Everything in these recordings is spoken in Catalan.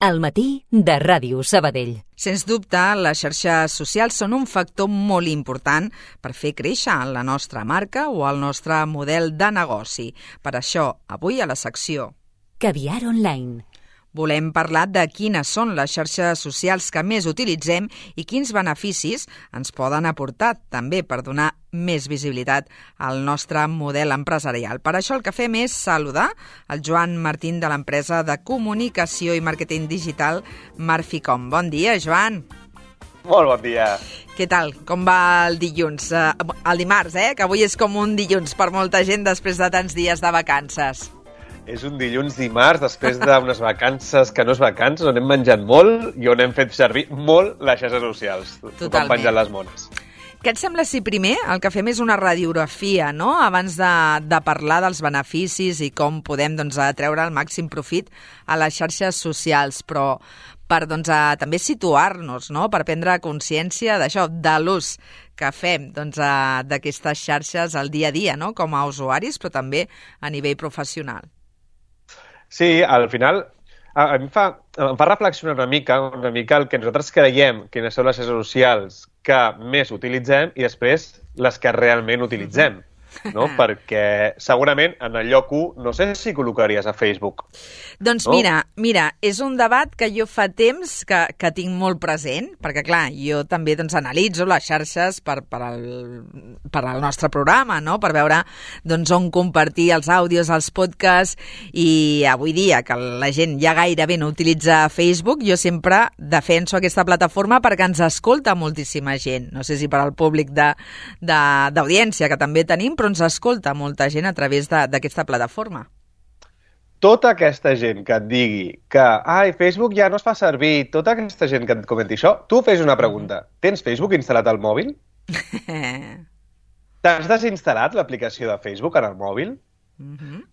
Al matí de Ràdio Sabadell. Sens dubte, les xarxes socials són un factor molt important per fer créixer la nostra marca o el nostre model de negoci. Per això, avui a la secció Caviar Online volem parlar de quines són les xarxes socials que més utilitzem i quins beneficis ens poden aportar, també per donar més visibilitat al nostre model empresarial. Per això el que fem és saludar el Joan Martín de l'empresa de comunicació i màrqueting digital Marficom. Bon dia, Joan. Molt bon dia. Què tal? Com va el dilluns? El dimarts, que avui és com un dilluns per molta gent després de tants dies de vacances. És un dilluns dimarts, després d'unes vacances que no és vacances, on hem menjat molt i on hem fet servir molt les xarxes socials. Totalment. Penjant les mones. Què et sembla si primer el que fem és una radiografia, no?, abans de parlar dels beneficis i com podem treure el màxim profit a les xarxes socials, però per també situar-nos, no?, per prendre consciència d'això, de l'ús que fem d'aquestes xarxes al dia a dia, no?, com a usuaris, però també a nivell professional. Sí, al final em fa reflexionar una mica el que nosaltres creiem quines són les xarxes socials que més utilitzem i després les que realment utilitzem. No? Perquè segurament en el lloc 1 no sé si col·locaries a Facebook. Doncs no? Mira, és un debat que jo fa temps que tinc molt present, perquè clar, jo també analitzo les xarxes per al nostre programa, no? Per veure on compartir els àudios, els podcasts, i avui dia que la gent ja gairebé no utilitza Facebook, jo sempre defenso aquesta plataforma perquè ens escolta moltíssima gent. No sé si per al públic d'audiència que també tenim, però ens escolta molta gent a través d'aquesta plataforma. Tota aquesta gent que et digui que Facebook ja no es fa servir, tota aquesta gent que et comenti això, tu fes una pregunta. Tens Facebook instal·lat al mòbil? T'has desinstal·lat l'aplicació de Facebook en el mòbil?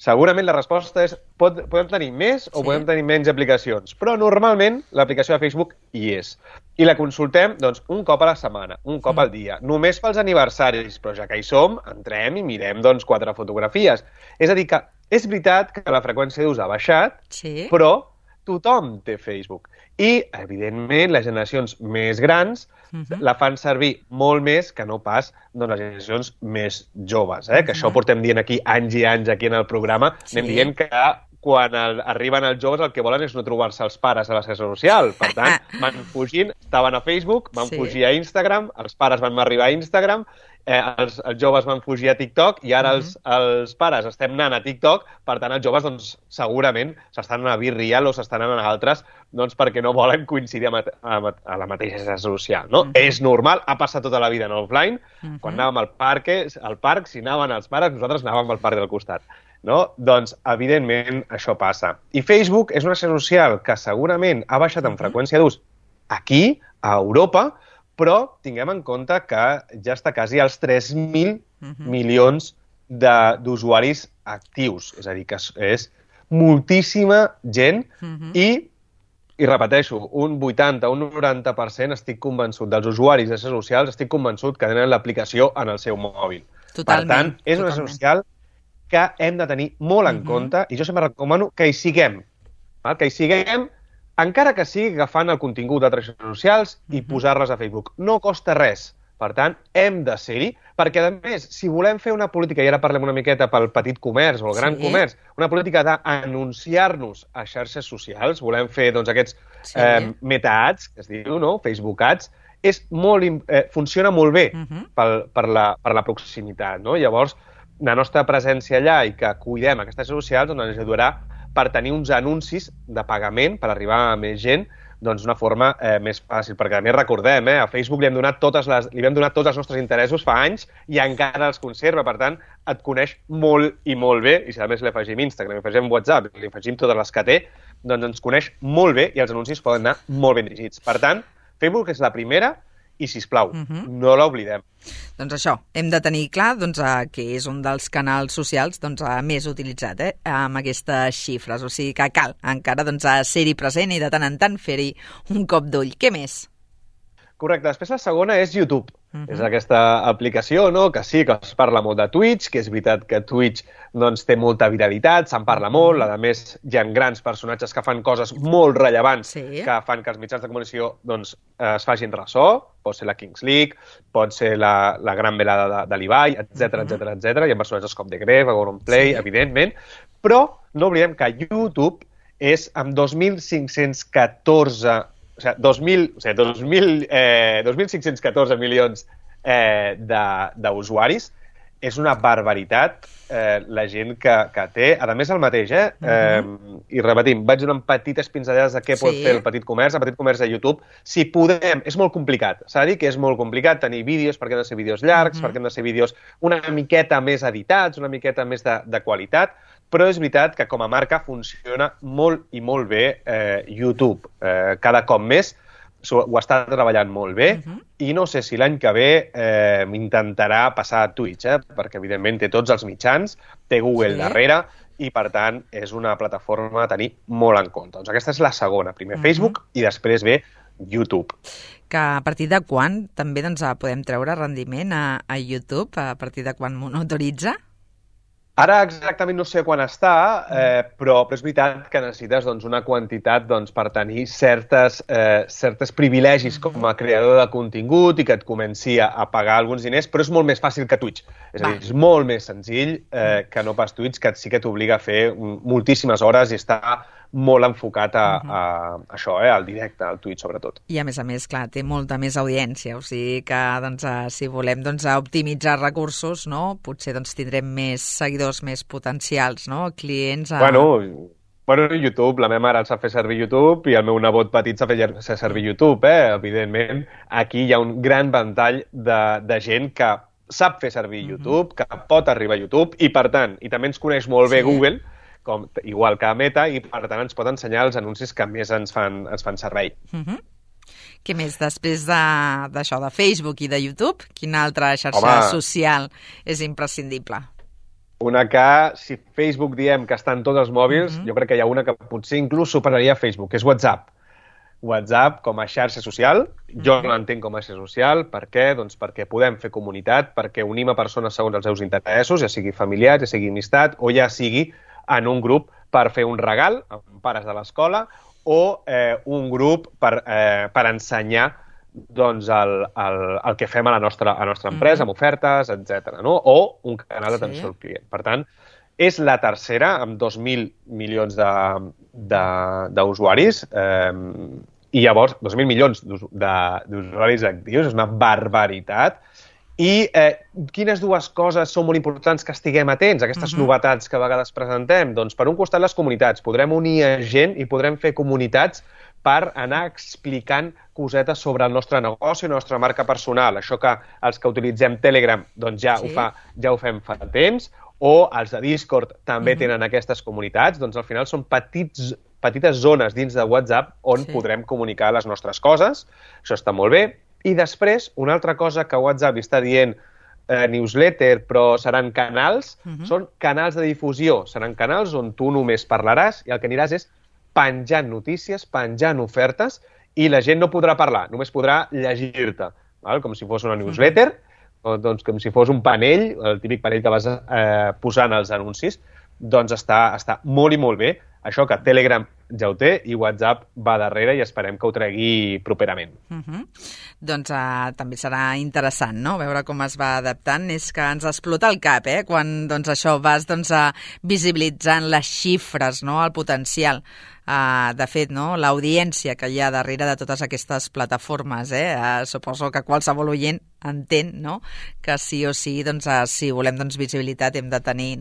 Segurament la resposta és podem tenir més o podem tenir menys aplicacions, però normalment l'aplicació de Facebook hi és. I la consultem un cop a la setmana, un cop al dia, només pels aniversaris, però ja que hi som, entrem i mirem 4 fotografies. És a dir, que és veritat que la freqüència d'ús ha baixat, però tothom té Facebook. I, evidentment, les generacions més grans la fan servir molt més que no pas les generacions més joves. Que això portem dient aquí anys i anys aquí en el programa. Anem dient que quan arriben els joves el que volen és no trobar-se els pares a la xarxa social. Per tant, van fugint, estaven a Facebook, van fugir a Instagram, els pares van arribar a Instagram, els joves van fugir a TikTok i ara els pares estem anant a TikTok, per tant els joves segurament s'estan anant a Virreal o s'estan anant a altres perquè no volen coincidir a la mateixa xarxa social. És normal, ha passat tota la vida en offline, quan anàvem al parc, si anaven els pares, nosaltres anàvem al parc del costat. Doncs, evidentment, això passa. I Facebook és una xarxa social que segurament ha baixat en freqüència d'ús aquí, a Europa, però tinguem en compte que ja està quasi als 3.000 milions d'usuaris actius. És a dir, que és moltíssima gent i repeteixo, un 80, un 90% estic convençut dels usuaris de xarxes socials, estic convençut que tenen l'aplicació en el seu mòbil. Per tant, és una xarxa social que hem de tenir molt en compte i jo sempre recomano que hi siguem. Que hi siguem, encara que sigui agafant el contingut d'altres xarxes socials i posar-les a Facebook. No costa res. Per tant, hem de ser-hi, perquè, a més, si volem fer una política, i ara parlem una miqueta pel petit comerç o el gran comerç, una política d'anunciar-nos a xarxes socials, volem fer aquests meta-ads, que es diu, Facebook Ads, funciona molt bé per la proximitat. Llavors, la nostra presència allà i que cuidem aquestes xarxes socials ens ajudarà per tenir uns anuncis de pagament per arribar a més gent d'una forma més fàcil. Perquè, a més, recordem, a Facebook li vam donar tots els nostres interessos fa anys i encara els conserva. Per tant, et coneix molt i molt bé. I si a més li afegim Instagram, li afegim WhatsApp, li afegim totes les que té, doncs ens coneix molt bé i els anuncis poden anar molt ben dirigits. Per tant, Facebook és la primera i, sisplau, no l'oblidem. Doncs això, hem de tenir clar que és un dels canals socials més utilitzat amb aquestes xifres. O sigui que cal encara ser-hi present i de tant en tant fer-hi un cop d'ull. Què més? Correcte. Després la segona és YouTube. És aquesta aplicació, no?, que sí, que es parla molt de Twitch, que és veritat que Twitch doncs, té molta viralitat, se'n parla molt, a més hi ha grans personatges que fan coses molt rellevants que fan que els mitjans de comunicació doncs, es facin ressò, pot ser la Kings League, pot ser la gran velada de l'Ibai, etc. Hi ha personatges com The Gref, Auronplay, evidentment, però no oblidem que YouTube és amb 2.514 2.514 milions d'usuaris. És una barbaritat la gent que té. A més, el mateix, i repetim, vaig donant petites pinzellades de què pot fer el petit comerç de YouTube. Si podem, és molt complicat. S'ha de dir que és molt complicat tenir vídeos, perquè han de ser vídeos llargs, perquè han de ser vídeos una miqueta més editats, una miqueta més de qualitat, però és veritat que com a marca funciona molt i molt bé YouTube. Cada cop més ho està treballant molt bé i no sé si l'any que ve intentarà passar a Twitch, perquè evidentment té tots els mitjans, té Google darrere i per tant és una plataforma a tenir molt en compte. Doncs aquesta és la segona, primer Facebook i després ve YouTube. Que a partir de quan també podem treure rendiment a YouTube, a partir de quan monitoritza? Ara exactament no sé quan està, però és veritat que necessites una quantitat per tenir certes privilegis com a creador de contingut i que et comenci a pagar alguns diners, però és molt més fàcil que Twitch. És a dir, és molt més senzill que no pas Twitch, que sí que t'obliga a fer moltíssimes hores i està molt enfocat a això, al directe, al Twitch sobretot. I a més, clar, té molta més audiència, o sigui que si volem optimitzar recursos, potser tindrem més seguidors, més potencials, clients... Bueno, YouTube, la meva mare el sap fer servir YouTube i el meu nebot petit sap fer servir YouTube, evidentment. Aquí hi ha un gran ventall de gent que sap fer servir YouTube, que pot arribar a YouTube i, per tant, i també ens coneix molt bé Google, igual que Meta, i per tant ens pot ensenyar els anuncis que més ens fan servei. Què més? Després d'això de Facebook i de YouTube, quina altra xarxa social és imprescindible? Una que, si Facebook diem que està en tots els mòbils, jo crec que hi ha una que potser inclús superaria Facebook, que és WhatsApp. WhatsApp com a xarxa social, jo l'entenc com a xarxa social, per què? Doncs perquè podem fer comunitat, perquè unim a persones segons els seus interessos, ja sigui familiar, ja sigui amistat, o ja sigui en un grup per fer un regal amb pares de l'escola o un grup per ensenyar el que fem a la nostra empresa, amb ofertes, etc. O un canal d'atenció al client. Per tant, és la tercera, amb 2.000 milions d'usuaris, i llavors 2.000 milions d'usuaris actius, és una barbaritat. I quines dues coses són molt importants que estiguem atents a aquestes novetats que a vegades presentem? Doncs per un costat les comunitats. Podrem unir gent i podrem fer comunitats per anar explicant cosetes sobre el nostre negoci i la nostra marca personal. Això que els que utilitzem Telegram doncs ja ho fem fa temps, o els de Discord també tenen aquestes comunitats. Doncs al final són petites zones dins de WhatsApp on podrem comunicar les nostres coses. Això està molt bé. I després, una altra cosa que WhatsApp està dient newsletter, però seran canals, són canals de difusió. Seran canals on tu només parlaràs i el que aniràs és penjant notícies, penjant ofertes, i la gent no podrà parlar, només podrà llegir-te, com si fos una newsletter, doncs com si fos un panell, el típic panell que vas posant els anuncis, doncs està molt i molt bé. Això que Telegram ja ho té i WhatsApp va darrere i esperem que ho tregui properament. Doncs també serà interessant, no?, veure com es va adaptant. És que ens explota el cap, quan això vas visibilitzant les xifres, el potencial. De fet, l'audiència que hi ha darrere de totes aquestes plataformes, suposo que qualsevol oient entén que sí o sí, si volem visibilitat hem de tenir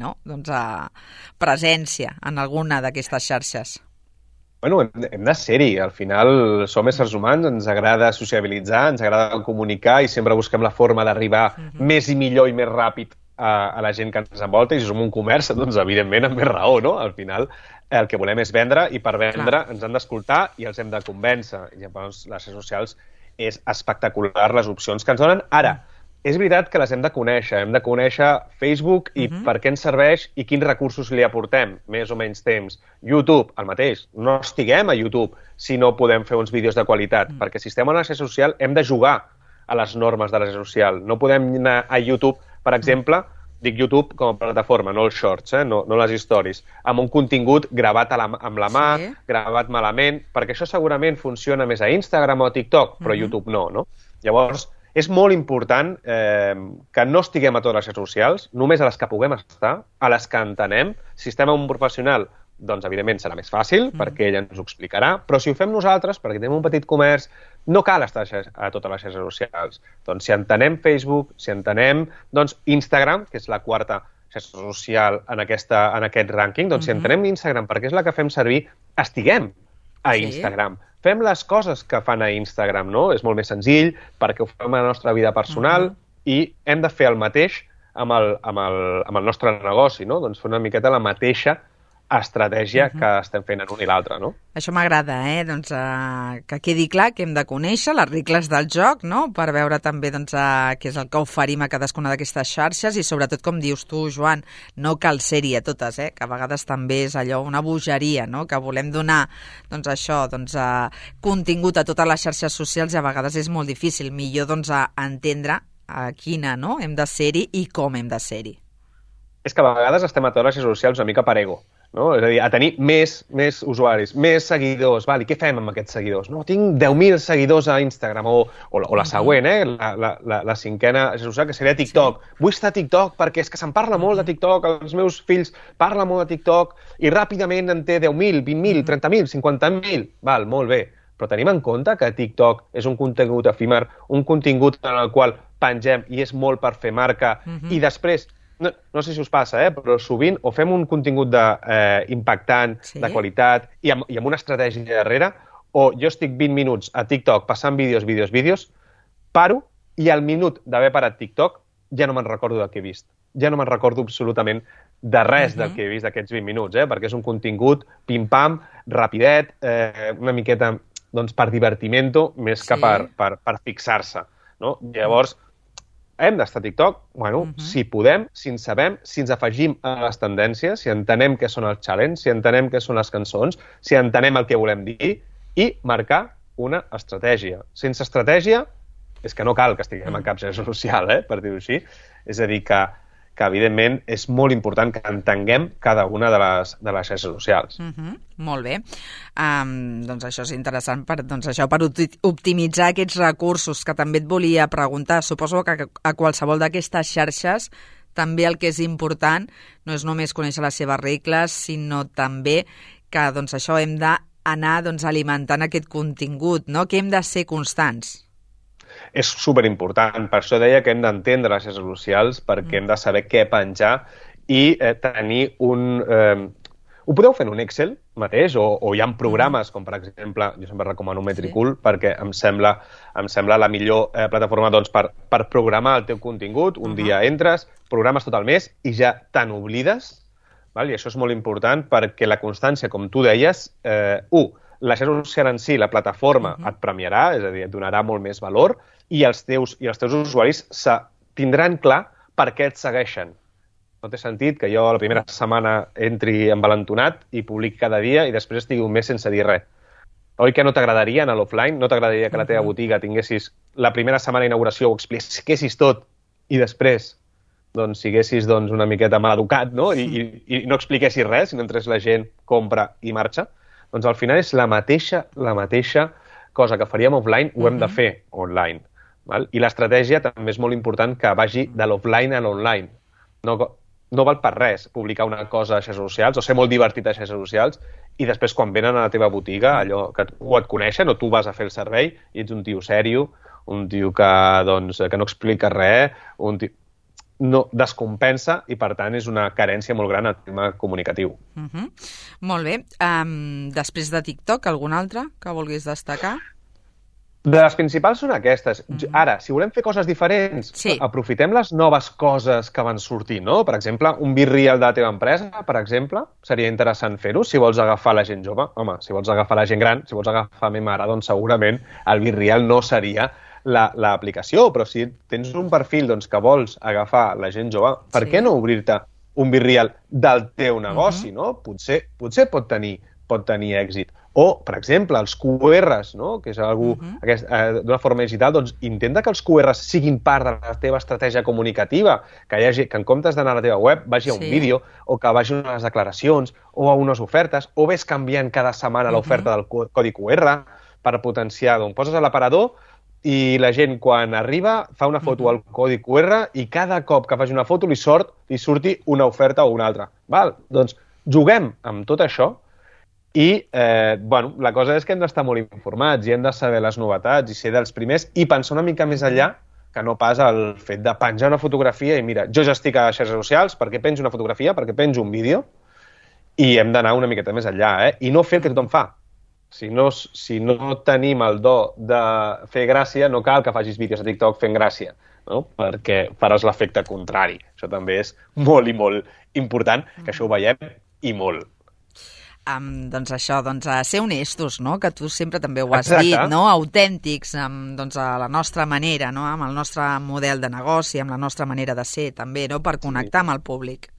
presència en alguna d'aquestes xarxes. Bueno, hem de ser-hi. Al final som éssers humans, ens agrada sociabilitzar, ens agrada comunicar i sempre busquem la forma d'arribar més i millor i més ràpid a la gent que ens envolta, i si som un comerç, doncs evidentment amb més raó, no? Al final el que volem és vendre i per vendre ens han d'escoltar i els hem de convèncer. I llavors les xarxes socials és espectacular les opcions que ens donen. Ara, és veritat que les hem de conèixer Facebook i per què ens serveix i quins recursos li aportem, més o menys temps. YouTube, el mateix, no estiguem a YouTube si no podem fer uns vídeos de qualitat, perquè si estem a una xarxa social hem de jugar a les normes de la xarxa social. No podem anar a YouTube, per exemple, dic YouTube com a plataforma, no els shorts, no les stories, amb un contingut gravat amb la mà, gravat malament, perquè això segurament funciona més a Instagram o a TikTok, però a YouTube no? Llavors, és molt important que no estiguem a totes les xarxes socials, només a les que puguem estar, a les que entenem. Si estem amb un professional, doncs evidentment serà més fàcil, perquè ella ens ho explicarà, però si ho fem nosaltres, perquè tenim un petit comerç, no cal estar a totes les xarxes socials. Doncs si entenem Facebook, si entenem Instagram, que és la quarta xarxa social en aquest rànquing, doncs si entenem Instagram perquè és la que fem servir, estiguem a Instagram. Fem les coses que fan a Instagram, no? És molt més senzill perquè ho fem a la nostra vida personal i hem de fer el mateix amb el nostre negoci, no? Doncs fer una miqueta la mateixa estratègia que estem fent en un i l'altre, no? Això m'agrada, doncs que quedi clar que hem de conèixer les regles del joc, no? Per veure també què és el que oferim a cadascuna d'aquestes xarxes i sobretot, com dius tu, Joan, no cal ser-hi a totes, que a vegades també és allò, una bogeria, no? Que volem donar, contingut a totes les xarxes socials i a vegades és molt difícil. Millor, entendre a quina, no? Hem de ser-hi i com hem de ser-hi. És que a vegades estem a totes les xarxes socials una mica per ego, no? És a dir, a tenir més usuaris, més seguidors. I què fem amb aquests seguidors? No, tinc 10.000 seguidors a Instagram, o la següent, la cinquena xarxa social, que seria TikTok. Vull estar a TikTok perquè és que se'n parla molt de TikTok, els meus fills parlen molt de TikTok i ràpidament en té 10.000, 20.000, 30.000, 50.000. Val, molt bé. Però tenim en compte que TikTok és un contingut efímer, un contingut en el qual pengem i és molt per fer marca i després, no sé si us passa, però sovint o fem un contingut impactant, de qualitat i amb una estratègia darrere, o jo estic 20 minuts a TikTok passant vídeos, paro i al minut d'haver parat TikTok ja no me'n recordo del que he vist. Ja no me'n recordo absolutament de res del que he vist d'aquests 20 minuts, perquè és un contingut pim-pam, rapidet, una miqueta per divertimento més que per fixar-se. Llavors, hem d'estar a TikTok, si podem, si en sabem, si ens afegim a les tendències, si entenem què són els challenges, si entenem què són les cançons, si entenem el que volem dir i marcar una estratègia. Sense estratègia, és que no cal que estiguem a cap xarxa social, per dir-ho així. És a dir, que evidentment és molt important que entenguem cada una de les xarxes socials. Molt bé. Doncs això és interessant per optimitzar aquests recursos, que també et volia preguntar. Suposo que a qualsevol d'aquestes xarxes també el que és important no és només conèixer les seves regles, sinó també que això hem d'anar alimentant aquest contingut, no? Que hem de ser constants. És superimportant. Per això deia que hem d'entendre les xarxes socials, perquè hem de saber què penjar i tenir un... Ho podeu fer en un Excel mateix, o hi ha programes com, per exemple, jo sempre recomano Metricool, perquè em sembla la millor plataforma per programar el teu contingut. Un dia entres, programes tot el mes i ja te n'oblides, i això és molt important perquè la constància, com tu deies, la xarxa social en si, la plataforma, et premiarà, és a dir, et donarà molt més valor, i els teus usuaris tindran clar per què et segueixen. No té sentit que jo la primera setmana entri envalentonat i publiqui cada dia i després estigui un mes sense dir res. Oi que no t'agradaria anar a l'offline? No t'agradaria que la teva botiga tinguessis la primera setmana d'inauguració, ho expliquessis tot i després siguessis una miqueta mal educat, no? I no expliquessis res, sinó entres la gent, compra i marxa? Doncs al final és la mateixa cosa que faríem offline, ho hem de fer online. I l'estratègia també és molt important que vagi de l'offline a l'online. No val per res publicar una cosa a xarxes socials o ser molt divertit a xarxes socials i després quan venen a la teva botiga, allò que o et coneixen o tu vas a fer el servei i ets un tio sèrio, un tio que no explica res, no descompensa i, per tant, és una carència molt gran al tema comunicatiu. Molt bé. Després de TikTok, algun altre que vulguis destacar? De les principals són aquestes. Ara, si volem fer coses diferents, aprofitem les noves coses que van sortir, no? Per exemple, un BeReal de la teva empresa, per exemple, seria interessant fer-ho si vols agafar la gent jove. Home, si vols agafar la gent gran, si vols agafar a mi mare, doncs segurament el BeReal no seria l'aplicació, però si tens un perfil doncs, que vols agafar la gent jove, per què no obrir-te un Virreal del teu negoci, no? Potser pot tenir èxit. O, per exemple, els QRs, no? Que és d'una forma digital, doncs intenta que els QRs siguin part de la teva estratègia comunicativa, que en comptes d'anar a la teva web vagi a un vídeo, o que vagi a unes declaracions, o a unes ofertes, o ves canviant cada setmana l'oferta del codi QR per potenciar. Doncs poses a l'aparador i la gent, quan arriba, fa una foto al codi QR i cada cop que faci una foto li surti una oferta o una altra. Doncs juguem amb tot això i la cosa és que hem d'estar molt informats i hem de saber les novetats i ser dels primers i pensar una mica més enllà que no pas el fet de penjar una fotografia i mira, jo ja estic a les xarxes socials perquè penjo una fotografia, perquè penjo un vídeo i hem d'anar una miqueta més enllà, i no fer el que tothom fa. Si no tenim el do de fer gràcia, no cal que facis vídeos a TikTok fent gràcia, no? Perquè faràs l'efecte contrari. Això també és molt i molt important, que això ho veiem i molt. Doncs això, ser honestos, no? Que tu sempre també ho has dit, no? Autèntics, a la nostra manera, no? Amb el nostre model de negoci, amb la nostra manera de ser, també, no? Per connectar amb el públic.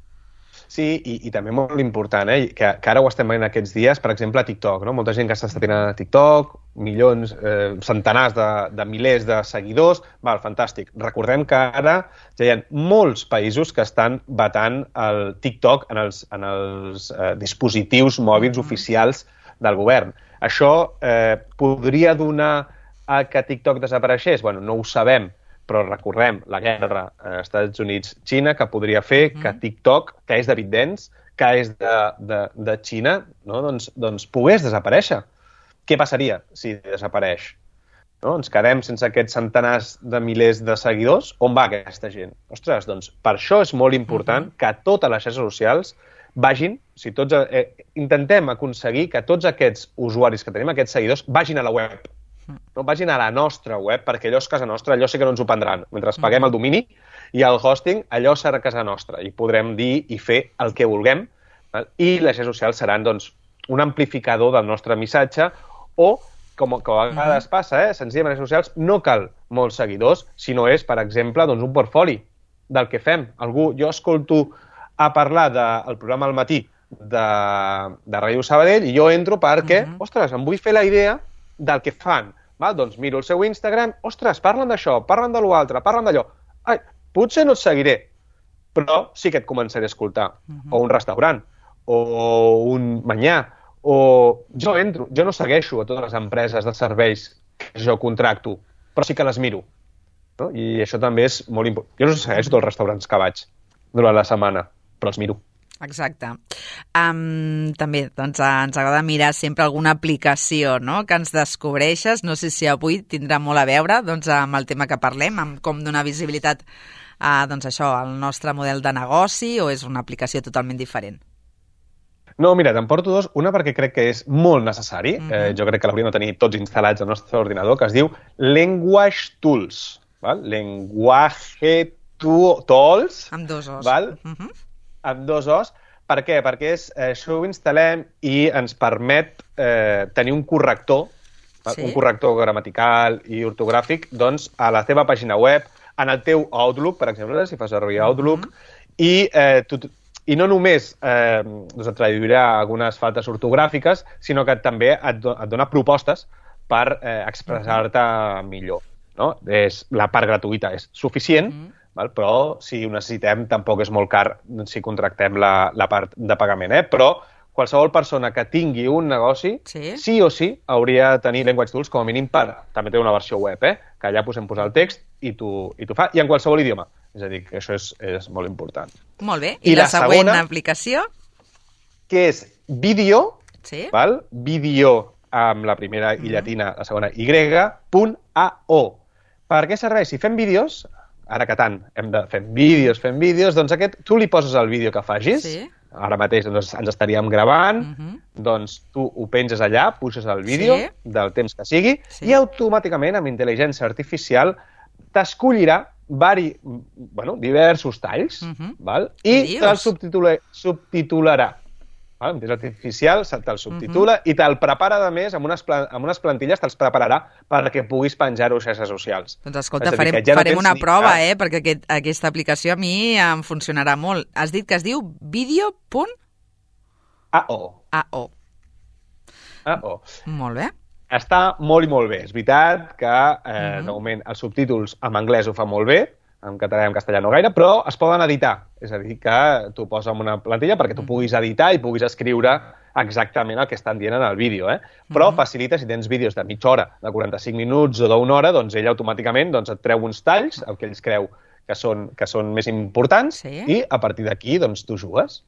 Sí, i també molt important, que ara ho estem veient aquests dies, per exemple, a TikTok, no? Molta gent que s'està tirant a TikTok, milions, centenars de milers de seguidors, fantàstic. Recordem que ara ja hi ha molts països que estan vetant el TikTok en els dispositius mòbils oficials del govern. Això podria donar a que TikTok desapareixés? Bueno, no ho sabem, però recordem la guerra als Estats Units-Xina, que podria fer que TikTok, que és de ByteDance, que és de Xina, no? doncs pogués desaparèixer. Què passaria si desapareix? No? Ens quedem sense aquests centenars de milers de seguidors? On va aquesta gent? Ostres, doncs per això és molt important que totes les xarxes socials vagin, intentem aconseguir que tots aquests usuaris que tenim, aquests seguidors, vagin a la web. No vagin a la nostra web, perquè allò és casa nostra, allò sí que no ens ho prendran. Mentre paguem el domini i el hosting, allò serà casa nostra i podrem dir i fer el que vulguem, i les xarxes socials seran doncs, un amplificador del nostre missatge o, com a vegades passa, senzillament a les xarxes socials no cal molts seguidors, sinó és, per exemple, doncs, un portfoli del que fem. Jo escolto a parlar del programa al matí de Ràdio Sabadell i jo entro perquè, ostres, em vull fer la idea del que fan. Doncs miro el seu Instagram, ostres, parlen d'això, parlen de l'altre, parlen d'allò. Potser no et seguiré, però sí que et començaré a escoltar. O un restaurant, o un manyà, o jo no segueixo a totes les empreses de serveis que jo contracto, però sí que les miro. No? I això també és molt important. Jo no segueixo tots els restaurants que vaig durant la setmana, però els miro. Exacte. També ens agrada mirar sempre alguna aplicació, no?, que ens descobreixes. No sé si avui tindrà molt a veure amb el tema que parlem, amb com donar visibilitat al nostre model de negoci, o és una aplicació totalment diferent? No, mira, te'n porto dos. Una perquè crec que és molt necessari. Jo crec que l'hauríem de tenir tots instal·lats al nostre ordinador, que es diu Language Tools. Lenguaje Tools. Amb dos os. Amb dos os. Per què? Perquè això ho instal·lem i ens permet tenir un corrector, un corrector gramatical i ortogràfic, doncs, a la teva pàgina web, en el teu Outlook, per exemple, si fas servir Outlook, i no només et traduirà algunes faltes ortogràfiques, sinó que també et dona propostes per expressar-te millor. La part gratuïta és suficient, però si ho necessitem tampoc és molt car si contractem la part de pagament. Però qualsevol persona que tingui un negoci, sí o sí hauria de tenir Language Tools com a mínim també té una versió web, que allà podem posar el text i t'ho fa, i en qualsevol idioma. És a dir, que això és molt important. Molt bé. I la següent aplicació? Que és Video, Video amb la primera i llatina, la segona y.ao. Per què serveix? Si fem vídeos, ara que tant hem de fer vídeos, doncs tu li poses el vídeo que facis, ara mateix ens estaríem gravant, doncs tu ho penges allà, puixes el vídeo del temps que sigui, i automàticament, amb intel·ligència artificial, t'escollirà diversos talls, i te'ls subtitularà. Amb intel·ligència artificial te'l subtitula i te'l prepara, a més, amb unes plantilles te'ls prepararà perquè puguis penjar-ho a xarxes socials. Doncs escolta, farem una prova, perquè aquesta aplicació a mi em funcionarà molt. Has dit que es diu video.ao. Molt bé. Està molt i molt bé. És veritat que, de moment, els subtítols en anglès ho fa molt bé, en català i en castellà no gaire, però es poden editar. És a dir, que tu poses en una plantilla perquè tu puguis editar i puguis escriure exactament el que estan dient en el vídeo. Però facilita, si tens vídeos de mitja hora, de 45 minuts o d'una hora, doncs ell automàticament et treu uns talls, el que ells creu que són més importants, i a partir d'aquí doncs, tu jugues.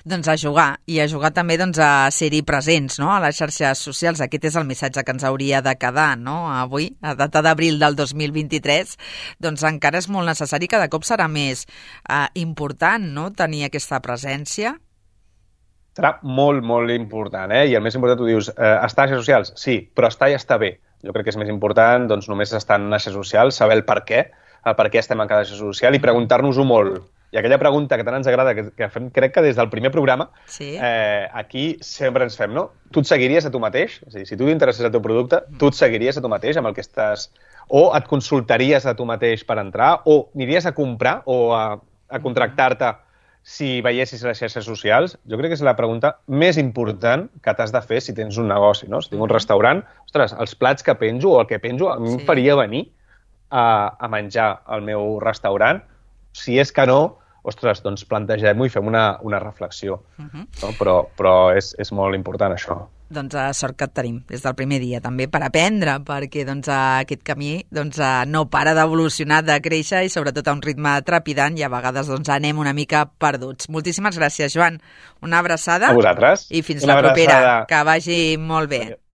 Doncs a jugar, i a jugar també a ser-hi presents, no?, a les xarxes socials. Aquest és el missatge que ens hauria de quedar, no?, avui, a data d'abril del 2023, doncs encara és molt necessari, cada cop serà més important, no?, tenir aquesta presència. Serà molt, molt important, i el més important, tu dius, estar a xarxes socials? Sí, però estar i estar bé. Jo crec que és més important, doncs, només estar en xarxes socials, saber el per què estem en cada xarxa social i preguntar-nos-ho molt. I aquella pregunta que tant ens agrada, que fem, crec que des del primer programa, aquí sempre ens fem, no? Tu et seguiries a tu mateix? És a dir, si tu t'interesses el teu producte, tu et seguiries a tu mateix amb el que estàs... O et consultaries a tu mateix per entrar? O aniries a comprar o a contractar-te si veiessis les xarxes socials? Jo crec que és la pregunta més important que t'has de fer si tens un negoci, no? Si tinc un restaurant, ostres, els plats que penjo o el que penjo a mi em faria venir a menjar al meu restaurant? Si és que no, ostres, doncs plantegem-ho i fem una reflexió. No? Però és molt important això. Doncs sort que et tenim des del primer dia també per aprendre, perquè aquest camí no para d'evolucionar, de créixer i sobretot a un ritme trepidant i a vegades anem una mica perduts. Moltíssimes gràcies, Joan. Una abraçada. A vosaltres. I fins la propera. Que vagi molt bé.